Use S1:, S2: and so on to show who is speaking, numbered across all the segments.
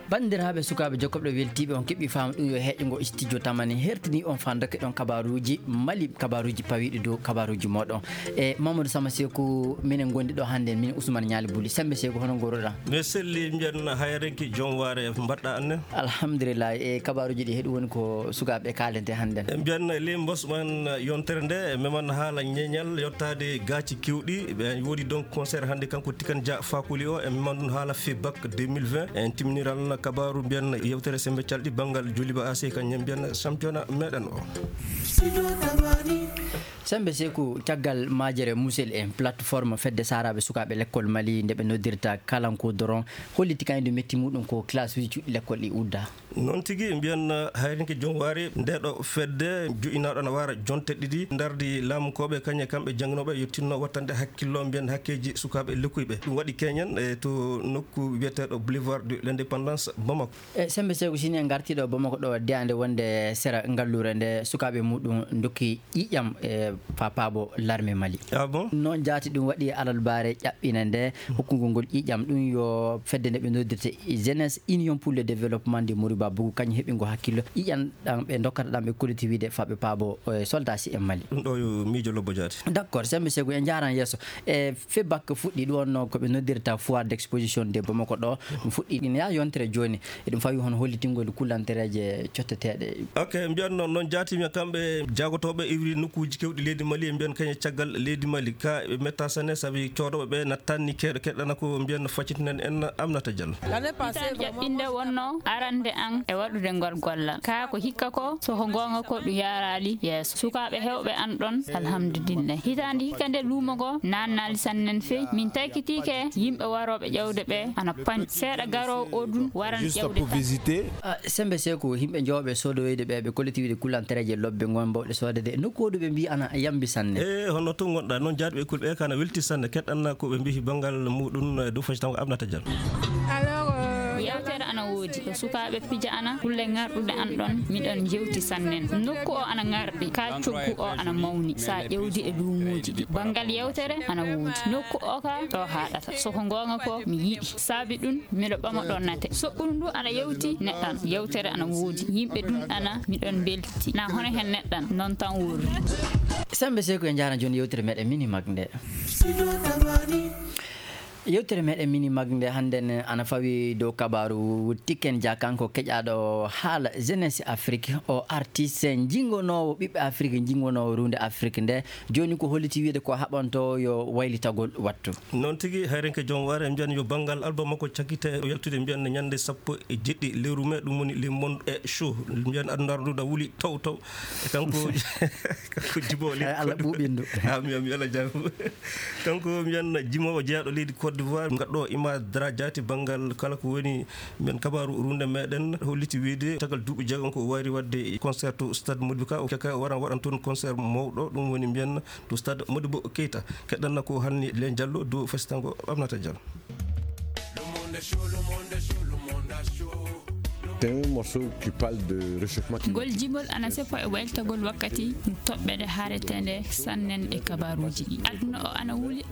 S1: bandiraɓe sukaɓe jokkoɓe weltiɓe on keɓɓi faamu ɗum yo heƴƴogo studio tamani hertini on fandake ɗon kabaruji mali kabaruji pawiɗi dow kabaruji moɗon e Mamadou Sama Sekou minen gondi ɗo hande min Ousmane Nialy Bouli sembe Sekou hono goroɗa
S2: mi selli mbiyen hayrenki joom waare mbaɗɗa anne
S1: alhamdulillah e kabaruji ɗi heeɗi woni ko sukaɓe kalente hande
S2: mbiyen li bosman yontere nde meman haala ñeñal yottade gaaci kewɗi ɓe woodi donc concert hande kanko Tikan Dia Fakoli o e meman ɗum haala FEBAC 2020 en timiniral kabaru mbiyen yewtere sembe calɗi banggal Joliba AC kañum mbiyen championnat meɗen o
S1: sembe Sekou caggal majere musel en plateforme fedde saraɓe sukaɓe l'école Mali nde ɓe noddirta kalanko doron holliti kaydu metti muɗum ko classe uji cuɗɗi l'école ɗi udda
S2: noon tigui mbiyen hayrenki joom waari ndeɗo fedde joƴinaɗo ne wara jonte ɗiɗi dardi laamukoɓe kañe kamɓe jangginoɓe yettinno wattande hakkillo mbiyen hakkeji sukaɓe lekkuɓe ɗum waɗi keñen e to nokku wiyeteɗo boulevard de l'indépendance Bamako
S1: e sembe Sekou sini en gartiɗo Bamako ɗo deyande wonde sera ngallure nde sukaɓe muɗum dokki ƴiƴam e papabo l'armée Mali
S2: bon
S1: noon jaati ɗum waɗi alalbare ƴaɓɓina nde hokkugol ngol ƴiƴam ɗum yo fedde nde ɓe noddirte jeunesse union pour le développement de Moriba Bougou kañum heeɓingo hakkillo ƴiƴam ɗam ɓe dokkata ɗam ɓe collectivité faɓe paabo soldat si en Mali
S2: ɗum ɗo yo miijo lobbo jaati
S1: d' accord sembe Sekou en jaran yesso e FEBAC fuɗɗi ɗum wonno koɓe noddirta foire d' exposition de Bamako ɗo ɗum fuɗɗi ɗin ya yontere joni eɗum fawi hono hollitingol kullantereje cotteteɗe
S2: ok mbiyan noon jaatimi kamɓe jagotoɓe iwri nokkuji kewɗi leydi Mali mbiyan kañe caggal leydi Mali ka ɓe metta sane saabi codoɓe ɓe nattanni keɗo keɗɗana ko mbiyan faccitinen en Aminata Diallo
S3: jaɓɓinde wonno arande an e waɗude ngol gollal ka ko hikka ko soko gonga ko ɗum yarali yeeso sukaɓe hewɓe an ɗon alhamdulillah hitande hikka nde luumo go nannali sannen feyi min taykitike yimɓe waroɓe ƴewde ɓe ana pañ seeɗa garowo o ɗum waran ƴewde
S1: sembe Sekou himɓe jowɓe sodoyde ɓe collectivité kullantereje lobbe gonɓawɗe sodede nokkuɗo ɓe mbi ana yambi sanne
S2: e hono to gonɗa noon jaatɓe école ɓe kana welti sanne keɗɗanna koɓe mbi banggal muɗum dow faci tan ko Aminata Diallo
S3: yewtere ana woodi ko sukaɓe pija ana kulle ngarɗude an ɗon miɗon jewti sannen nokku o ana ngarɗi ka coggu o ana mawni sa ƴewdi e luumuji ɗi banggal yewtere ana woodi nokku o ka ɗo haɗata soko gonga ko mi yiɗi saabi ɗum miɗo ɓama ɗon nate soɓɓudu ndu ana yewti neɗɗan yewtere ana woodi yimɓe ɗum ana miɗon belti na hono hen neɗɗan noon tan wurri
S1: sembe Sekou en jaran joni yewtere meɗen Minimak nde yewtere meɗen Minimak nde hande ana fawi dow kabaru Tiken Dia kanko keƴaɗo haala jeunesse Afrique o artiste jingonowo ɓiɓɓe Afrique jingonowo runde Afrique nde joni ko holliti wiide ko haɓanto yo waylitagol wattu
S2: noon tigui hayrenke joom waare mbiyan yo banggal album makko cakkite o yaltude mbiyan ñande 17 lewru mai ɗum woni le monde et show mbiyan aduna nduɗa wuuli taw taw kanko kanko jibole
S1: Allah ɓuɓindu
S2: ami Allah jaam kanko mbiyan jimowo jeeyaɗo leydi Côte d'Ivoire gadɗo ima daradiati banggal kala ko woni men kabaru runde meɗen holliti wiide tagal duuɓi jeegom ko wari wadde concert to stade Modibo Ka o kaka waran waɗan toon concert mawɗo ɗum woni mbiyan to stade Modibo Keita keɗɗanna ko hanni len Diallo do festitango Aminata Diallo.
S4: C'est un morceau qui parle de réchauffement climatique.
S3: Gol jibol ana sefa e weltagol wakkati toɓɓede haaretende sannen e kabaruji ɗi aduna o ana wuli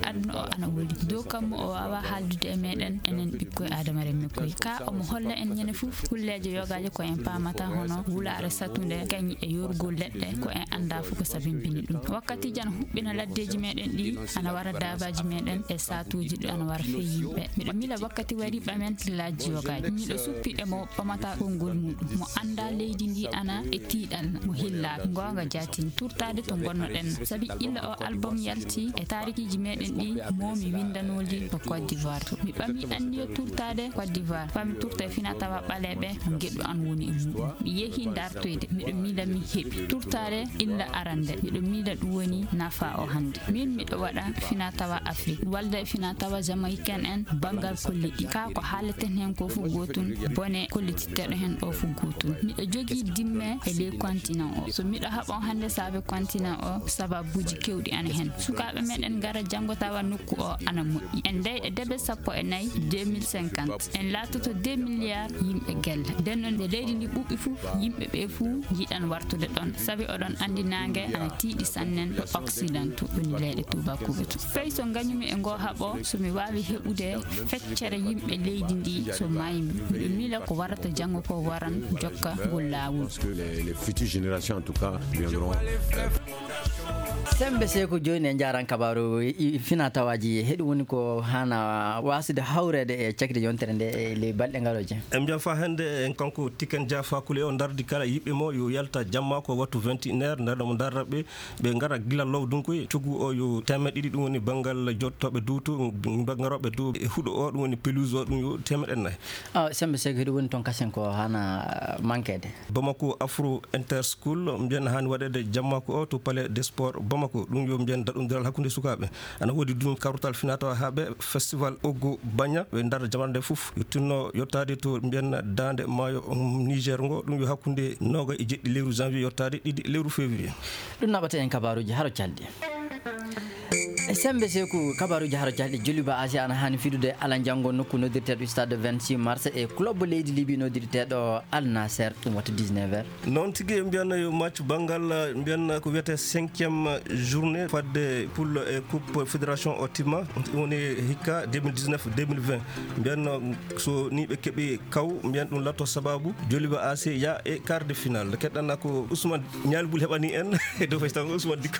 S3: dow kammo o wawa haaldude e meɗen enen ɓikkoye adama remmi koye ka omo holla en ñande fof kulleje yogaje ko en pamata hono wulare satunde kañi e yorgol leɗɗe ko en anda fof ko sabimbini ɗum wakkati jan huɓɓina laddeji meɗen ɗi ana wara dabaji meɗen e satuji ɗi ana wara fey yimɓe miɗo mila wakkati wari ɓamen tillaji yogaji miɗo suppi e mo ɓamata konngol muɗum mo anda leydi ndi ana e tiiɗal mo hillaka gonga jatini turtade to gonnoɗen saabi illa o album yalti e tarikiji meɗen ɗi momi windanoli to Côte d'Ivoire mi ɓami anniyo turtade Côte d'Ivoire fami turta e fina tawa ɓaleɓe no gueɗɗo an woni e muɗum mi yeehi dartoyde miɗo miila mi heeɓi turtade illa arande miɗo miila ɗum woni nafa o hande min miɗo waɗa fina tawa Afrique walda e fina tawa jamaïcaine en banggal kolliɗi ka ko haaleten hen ko fof gotun bone kollitite yewtere hen o fu gotum miɗo jogi dimme e ley continent o so miɗo haɓon hande saabe continent o sababuji kewɗi ana hen sukaɓe meɗen gara jango tawa nokku o ana moƴƴi en dayɗe debe 14 2050 en latoto 2 milliards yimɓe gella nden noon nde leydi ndi ɓuɓɓi fuu yimɓe ɓe fuu jiiɗan wartude ɗon sabi oɗon andi nangue ana tiiɗi sannen ɗo occident to woni leyɗe tubakoɓe to fey so gañumi e ngo haaɓo somi wawi heɓude feccere yimɓe leydi ndi so maymi miɗo miila ko warata janggo ko waran jokka ngol lawol.
S4: Les futures générations en tout cas viendront.
S1: sembe seko joni en jaran kabaru fina tawaji heɗum woni ko hana wasude hawrede e cakde yontere nde e ley balɗe ngaroje
S2: em jam fa hande en kanko Tiken Jah Fakoly o dardi kala yiɓɓe mo yo yalta jamma ko wattu 21h ndarɗo mo darraɓe ɓe gara gila law dunkoy coggu o yo temeɗe ɗiɗi ɗum woni banggal jottoɓe duuto garoɓe dow e huuɗo o ɗum woni pelouse o ɗum yo temeɗe nayyi
S1: sembe seko heɗum woni toon kasen ko hana manquede
S2: Bamako Afro Interschool mbiyen hani waɗede jammako o to palais des sports Bamako ɗum yo mbiyen daɗodiral hakkude sukaɓe ana woodi ɗum karutal finatawa haaɓe festival Oggo Bagna ɓe darda jamande fof yo tinno yottade to mbiyen dande maayo Niger ngo ɗum yo hakkude 27 lewru janvier yottade 2 lewru février
S1: ɗum naɓata en kabaruji haro calɗi sembe seku kabaruji haro calɗi Djoliba AC ana hani fidude ala janggo nokku noddirteɗo stade 26 mars e club leydi Libye noddirteɗo Al Nasser ɗum watta 19h
S2: noon tigui mbiyanna yo match banggal mbiyanna ko wiyete 5e journée fadde poule e coupe fédération o timma woni hikka 2019-2020 mbiyanna so ni ɓe keeɓi kaw mbiyan ɗum latto sababu Djoliba AC ya e quart de finale keɗɗanna ko Ousmane Ñalboul heɓani en e dow faytan Ousmane Dicko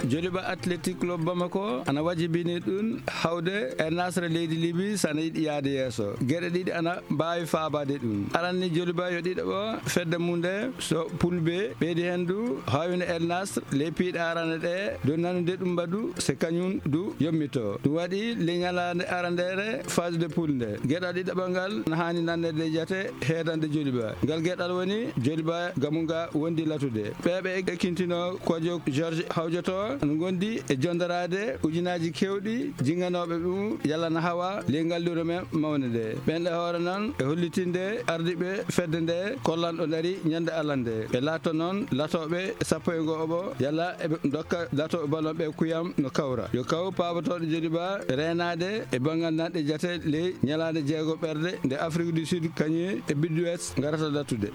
S5: Djoliba Athletic Club Bamako ana wajibini ɗum hawde e Nasra leydi Libye sana yiɗi yaade yeeso gueɗe ɗiɗi ana mbawi faabade ɗum aranni Djoliba yo ɗiɗaɓo fedde mum nde so poule B ɓeydi hen du hawino El Nasr les piiɗe arane ɗe do nanude ɗum mbadu c'est kañum du yommito ɗum waɗi le ñalade arandere phase de poule nde gueɗal ɗiɗaɓal ngal ne hani nannede jate heedande Djoliba ngal gueɗal woni Djoliba gamuga wondi latude ɓeɓe ekkintino kojo George Hawjoto no gondi e jondarade ujunaji kewɗi jinganoɓe ɗum yalana hawa lengal luro men mawne nde ɓenɗe hoore noon e hollitinde ardiɓe fedde nde kollanɗo dari ñande Allah nde ɓe lato noon latoɓe 15 yalla eɓe dokka latoɓe ballon ɓe kuyam no kawra yo kaw pabotoɗo Djoliba renade e banggal nanɗe jate ley ñalade jeego ɓerde nde Afrique du Sud kañum e Biddu West garata latude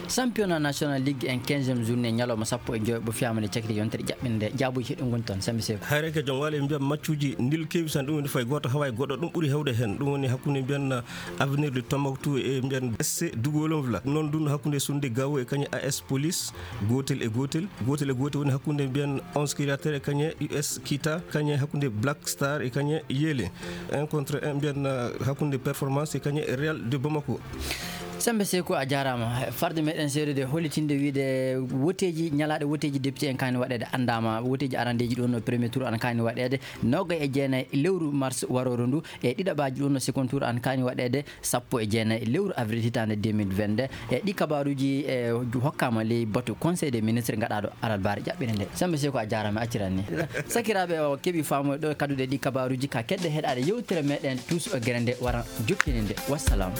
S1: championnat national ligue en 15e journée ñalawma 15 ɓo fiyamade cakri yontere jaɓɓinde jaabuji heɗum goni toon sembe seko
S2: hayreke jom wala mbiyam maccuji ndil kewi tan ɗum woni fay goto hawa e goɗɗo ɗum ɓuuri hewde hen ɗum woni hakkude mbiyan avenir de Tombouctou e mbiyan SC Dougolonvla noon ɗum hakkude Sunde Gawo e kañum AS Police gotel e gotel woni hakkude mbiyan 11 créateur e kañum US Kita kañum hakkude Black Star e kañum Yele 1 contre 1 mbiyan hakkude performance e kañum Real de Bamako
S1: sembe seko a jarama farde meɗen seedude hollitinde wiide woteji ñalaɗe woteji député en kani waɗede andama woteji arandeji ɗon no premier tour an kani waɗede 29 lewru mars waroro ndu e ɗiɗaɓaji ɗon no second tour an kani waɗede 19 lewru avril hitande 2022 e ɗi kabaruji e hokkama ley batu conseil des ministres gaɗaɗo alalbare ƴaɓɓire nde sembe seko a jarama acciranni sakiraɓe o keeɓi famoy ɗo kadude ɗi kabaruji ka kedde heɗade yewtere meɗen tous o guere nde waran jokkini nde wassalam